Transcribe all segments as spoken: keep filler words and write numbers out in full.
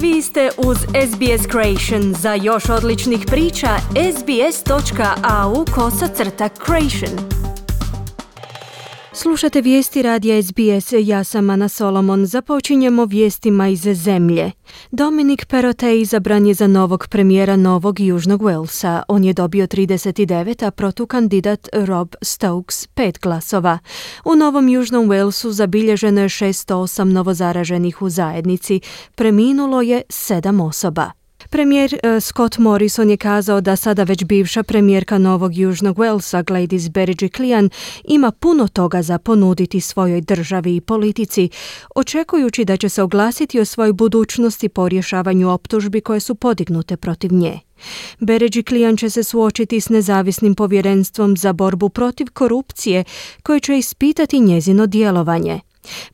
Vi ste uz S B S Creation. Za još odličnih priča, sbs.au kosacrta creation. Slušate vijesti radija S B S, ja sam Ana Solomon. Započinjemo vijestima iz zemlje. Dominic Perrottet izabran je za novog premijera Novog Južnog Walesa. On je dobio trideset devet, a protukandidat Rob Stokes pet glasova. U Novom Južnom Walesu zabilježeno je šesto osam novozaraženih u zajednici. Preminulo je sedam osoba. Premijer uh, Scott Morrison je kazao da sada već bivša premijerka Novog Južnog Walesa Gladys Berejiklian ima puno toga za ponuditi svojoj državi i politici, očekujući da će se oglasiti o svojoj budućnosti po rješavanju optužbi koje su podignute protiv nje. Berejiklian će se suočiti s nezavisnim povjerenstvom za borbu protiv korupcije koje će ispitati njezino djelovanje.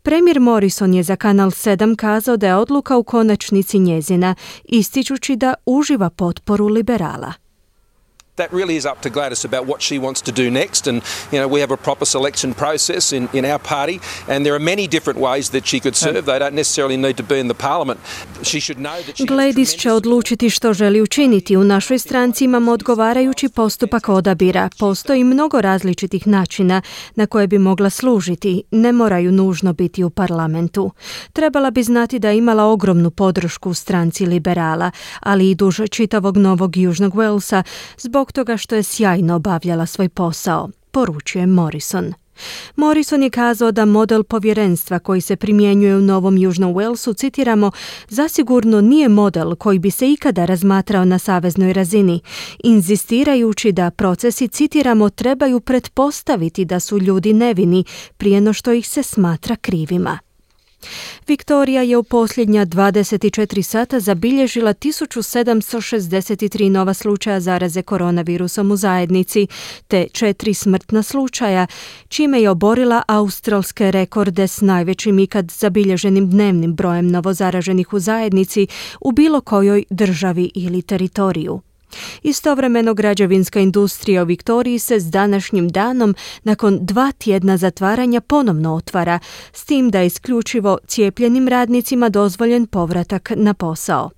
Premijer Morrison je za Kanal sedam kazao da je odluka u konačnici njezina, ističući da uživa potporu liberala. That really is up to Gladys about what she wants to do next, and you know we have a proper selection process in, in our party, and there are many different ways that she could serve. They don't necessarily need to be in the parliament. She should know that she Gladys će odlučiti što želi učiniti. U našoj stranci imamo odgovarajući postupak odabira. Postoji mnogo različitih načina na koje bi mogla služiti. Ne moraju nužno biti u parlamentu. Trebala bi znati da je imala ogromnu podršku u stranci liberala, ali i duž čitavog Novog Južnog Walesa zbog toga što je sjajno obavljala svoj posao, poručuje Morrison. Morrison je kazao da model povjerenstva koji se primjenjuje u Novom Južnom Walesu, citiramo, zasigurno nije model koji bi se ikada razmatrao na saveznoj razini, inzistirajući da procesi, citiramo, trebaju pretpostaviti da su ljudi nevini prije no što ih se smatra krivima. Viktorija je u posljednja dvadeset četiri sata zabilježila tisuću sedamsto šezdeset tri nova slučaja zaraze koronavirusom u zajednici, te četiri smrtna slučaja, čime je oborila australske rekorde s najvećim ikad zabilježenim dnevnim brojem novozaraženih u zajednici u bilo kojoj državi ili teritoriju. Istovremeno građevinska industrija u Viktoriji se s današnjim danom nakon dva tjedna zatvaranja ponovno otvara, s tim da je isključivo cijepljenim radnicima dozvoljen povratak na posao.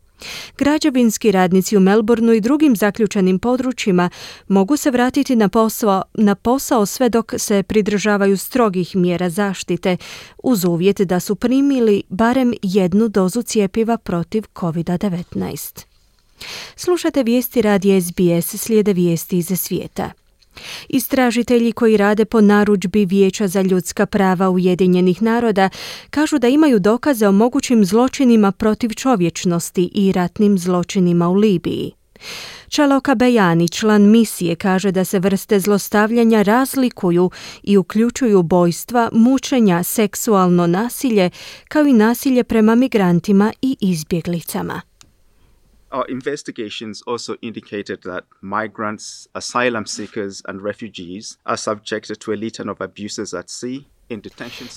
Građevinski radnici u Melbourneu i drugim zaključanim područjima mogu se vratiti na posao, na posao sve dok se pridržavaju strogih mjera zaštite, uz uvjet da su primili barem jednu dozu cjepiva protiv covid devetnaest. Slušate vijesti radija S B S, slijede vijesti iz svijeta. Istražitelji koji rade po narudžbi Vijeća za ljudska prava Ujedinjenih naroda kažu da imaju dokaze o mogućim zločinima protiv čovječnosti i ratnim zločinima u Libiji. Čaloka Bejani, član misije, kaže da se vrste zlostavljanja razlikuju i uključuju ubojstva, mučenja, seksualno nasilje, kao i nasilje prema migrantima i izbjeglicama. Our investigations also indicated that migrants, asylum seekers and refugees are subjected to a litany of abuses at sea.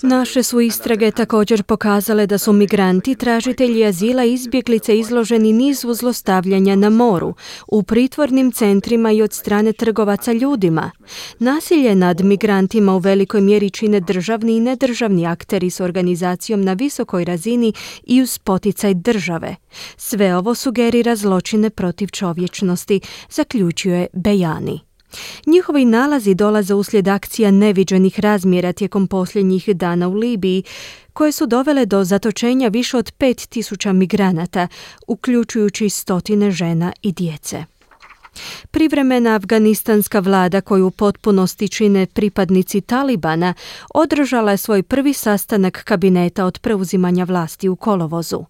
Naše su istrage također pokazale da su migranti, tražitelji azila i izbjeglice izloženi nizu zlostavljanja na moru, u pritvornim centrima i od strane trgovaca ljudima. Nasilje nad migrantima u velikoj mjeri čine državni i nedržavni akteri s organizacijom na visokoj razini i uz poticaj države. Sve ovo sugerira zločine protiv čovječnosti, zaključuje Bejani. Njihovi nalazi dolaze uslijed akcija neviđenih razmjera tijekom posljednjih dana u Libiji, koje su dovele do zatočenja više od pet tisuća migranata, uključujući stotine žena i djece. Privremena afganistanska vlada, koju u potpunosti čine pripadnici Talibana, održala je svoj prvi sastanak kabineta od preuzimanja vlasti u kolovozu.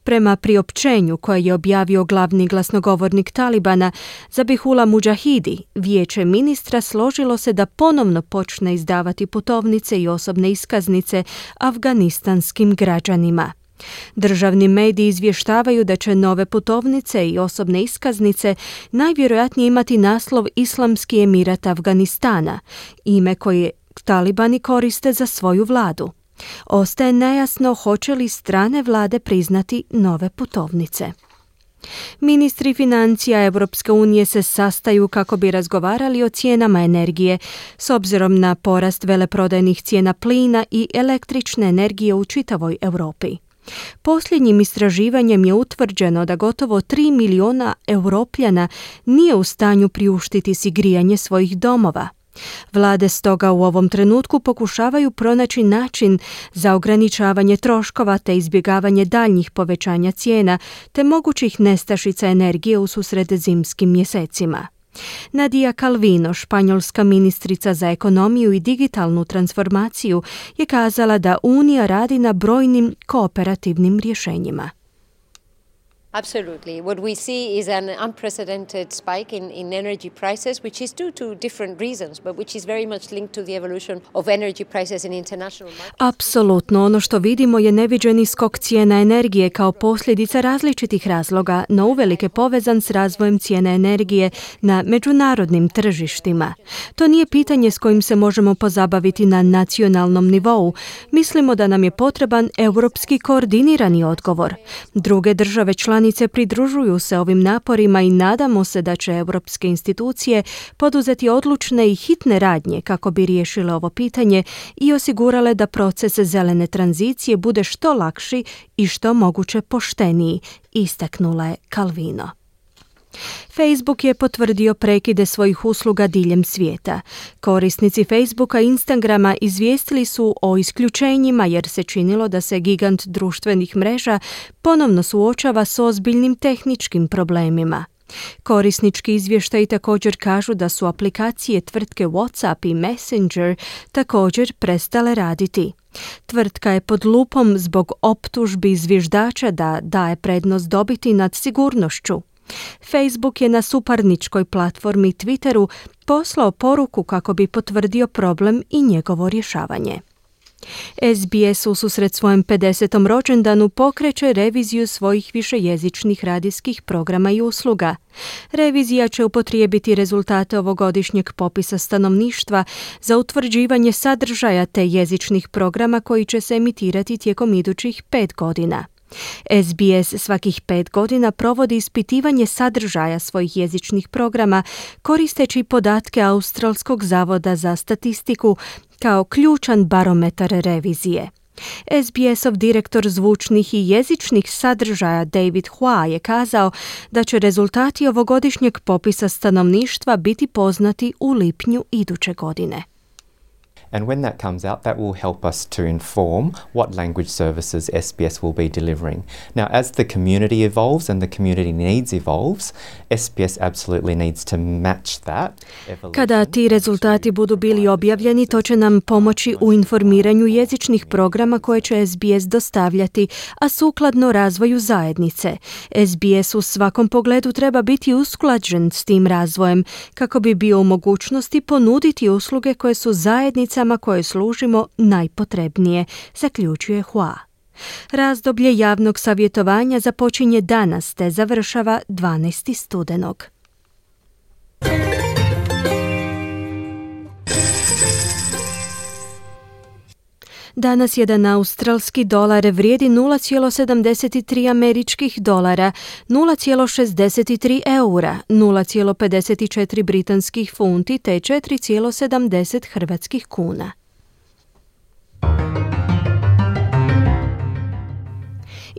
Prema priopćenju koje je objavio glavni glasnogovornik Talibana, Zabihullah Mujahidi, vijeće ministra složilo se da ponovno počne izdavati putovnice i osobne iskaznice afganistanskim građanima. Državni mediji izvještavaju da će nove putovnice i osobne iskaznice najvjerojatnije imati naslov Islamski emirat Afganistana, ime koje Talibani koriste za svoju vladu. Ostaje nejasno hoće li strane vlade priznati nove putovnice. Ministri financija Europske unije se sastaju kako bi razgovarali o cijenama energije s obzirom na porast veleprodajnih cijena plina i električne energije u čitavoj Europi. Posljednjim istraživanjem je utvrđeno da gotovo tri milijuna Europljana nije u stanju priuštiti si grijanje svojih domova. Vlade stoga u ovom trenutku pokušavaju pronaći način za ograničavanje troškova te izbjegavanje daljnjih povećanja cijena te mogućih nestašica energije u susret zimskim mjesecima. Nadia Calvino, španjolska ministrica za ekonomiju i digitalnu transformaciju, je kazala da Unija radi na brojnim kooperativnim rješenjima. Absolutely. What we see is an unprecedented spike in, in energy prices, which is due to different reasons, but which is very much linked to the evolution of energy prices in international markets. Apsolutno. Ono što vidimo je neviđeni skok cijena energije kao posljedica različitih razloga, no uvelike povezan s razvojem cijene energije na međunarodnim tržištima. To nije pitanje s kojim se možemo pozabaviti na nacionalnom nivou. Mislimo da nam je potreban europski koordinirani odgovor. Druge države članice Članice pridružuju se ovim naporima i nadamo se da će europske institucije poduzeti odlučne i hitne radnje kako bi riješile ovo pitanje i osigurale da proces zelene tranzicije bude što lakši i što moguće pošteniji, istaknula je Calvino. Facebook je potvrdio prekide svojih usluga diljem svijeta. Korisnici Facebooka i Instagrama izvijestili su o isključenjima jer se činilo da se gigant društvenih mreža ponovno suočava s ozbiljnim tehničkim problemima. Korisnički izvještaji također kažu da su aplikacije tvrtke WhatsApp i Messenger također prestale raditi. Tvrtka je pod lupom zbog optužbi zviždača da daje prednost dobiti nad sigurnošću. Facebook je na suparničkoj platformi Twitteru poslao poruku kako bi potvrdio problem i njegovo rješavanje. S B S u susret svojem pedesetom rođendanu pokreće reviziju svojih višejezičnih radijskih programa i usluga. Revizija će upotrijebiti rezultate ovogodišnjeg popisa stanovništva za utvrđivanje sadržaja te jezičnih programa koji će se emitirati tijekom idućih pet godina. S B S svakih pet godina provodi ispitivanje sadržaja svojih jezičnih programa koristeći podatke Australskog zavoda za statistiku kao ključan barometar revizije. S B S-ov direktor zvučnih i jezičnih sadržaja David Hua je kazao da će rezultati ovogodišnjeg popisa stanovništva biti poznati u lipnju iduće godine. And when that comes out, that will help us to inform what language services S B S will be delivering. Now, as the community evolves and the community needs evolves, S B S absolutely needs to match that evolution. Kada ti rezultati budu bili objavljeni, to će nam pomoći u informiranju jezičnih programa koje će S B S dostavljati, a sukladno razvoju zajednice. S B S u svakom pogledu treba biti usklađen s tim razvojem kako bi bio u mogućnosti ponuditi usluge koje su zajednica koje služimo najpotrebnije, zaključuje Hua. Razdoblje javnog savjetovanja započinje danas te završava dvanaestog studenog. Danas jedan australski dolar vrijedi nula zarez sedamdeset tri američkih dolara, nula zarez šezdeset tri eura, nula zarez pedeset četiri britanskih funti te četiri zarez sedamdeset hrvatskih kuna.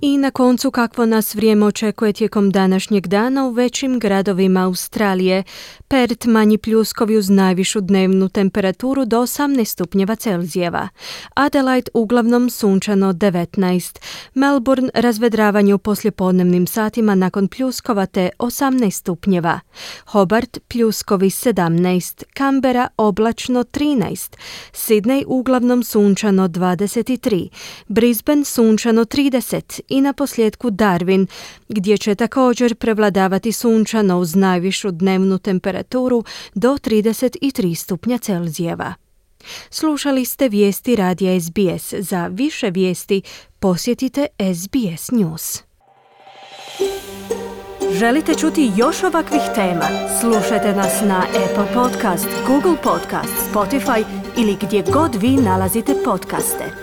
I na koncu kakvo nas vrijeme očekuje tijekom današnjeg dana u većim gradovima Australije. Perth manji pljuskovi uz najvišu dnevnu temperaturu do osamnaest stupnjeva Celzijeva. Adelaide uglavnom sunčano devetnaest. Melbourne razvedravanje u poslijepodnevnim satima nakon pljuskova te osamnaest stupnjeva. Hobart pljuskovi sedamnaest. Canberra oblačno trinaest. Sydney uglavnom sunčano dvadeset tri. Brisbane sunčano trideset. I na posljedku Darwin, gdje će također prevladavati sunčano uz najvišu dnevnu temperaturu do trideset tri stupnja Celzijeva. Slušali ste vijesti radija S B S. Za više vijesti posjetite S B S News. Želite čuti još ovakvih tema? Slušajte nas na Apple Podcast, Google Podcast, Spotify ili gdje god vi nalazite podcaste.